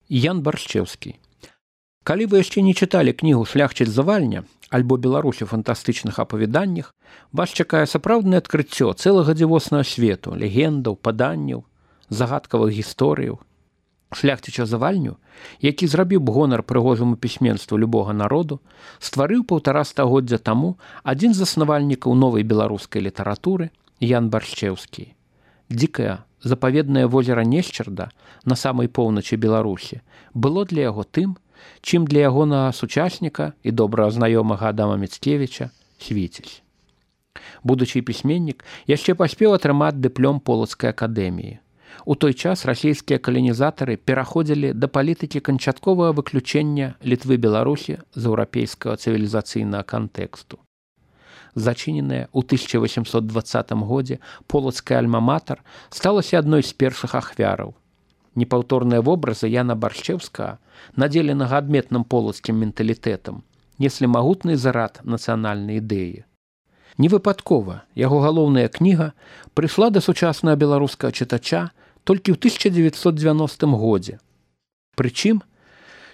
Ян Баршчэўскі. Калі вы яшчэ не чыталі кнігу «Шляхціц Завальня» альбо «Беларусь у фантастычных апавяданнях», вас чакае сапраўднае адкрыццё цэлага дзівоснага свету, легендаў, паданняў, загадкавых гісторыяў. Шляхціча Завальню, які зрабіў б гонар прыгожаму пісьменству любога народу, стварыў 1,5 стагоддзя таму адзін з заснавальнікаў новай беларускай літаратуры Ян Баршчэўскі. Дзікае, запаведнае возера Несчарда на самай поўначы Беларусі было для яго тым, чым для ягонага сучасніка і добра знаёмага Адама Міцкевіча Свіціць. Будучы пісьменнік яшчэ паспеў атрымаць дыплом Полацкай акадэміі. У той час расійскія каланізатары пераходзілі да палітыкі канчатковага выключэння Літвы Беларусі з еўрапейскага цывілізацыйнага кантэксту. Зачыненая ў 1820 годзе полацкая альма-матар сталася адной з першых ахвяраў. Непаўторныя вобразы Яна Баршчэўскага, надзеленага адметным полацкім менталітэтам, неслі магутны зарад нацыянальнай ідэі. Невыпадкова яго галоўная кніга прыйшла да сучаснага беларускага чытача толькі ў 1990 годзе. Прычым,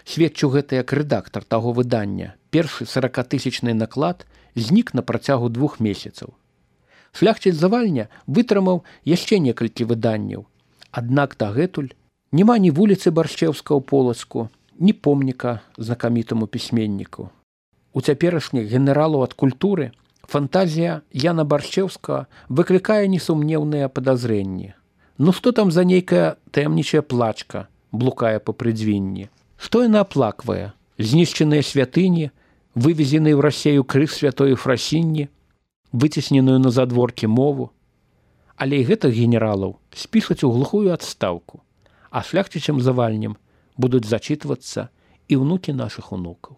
сведчыў гэта як рэдактар таго выдання, першы 40-тысячны наклад знік на працягу 2 месяцаў. Шляхціц Завальня вытрымаў яшчэ некалькі выданняў, аднак дагэтуль няма ні вуліцы Баршчэўскага ў Полацку, ні помніка знакамітаму пісьменніку. У цяперашніх генералаў ад культуры фантазія Яна Баршчэўскага выклікае несумнеўныя падазрэнні. Ну што там за нейкая таямнічая плачка блукае па прыдзвінні? Што яна аплаквае? Знішчаныя святыні, вывезены ў Расею крыж святой Ефрасінні, выцесненую на задворкі мову? Але і гэтых генералаў спішаць у глухую адстаўку, а шляхцічам Завальнем будуць зачытвацца і ўнукі нашых унукаў.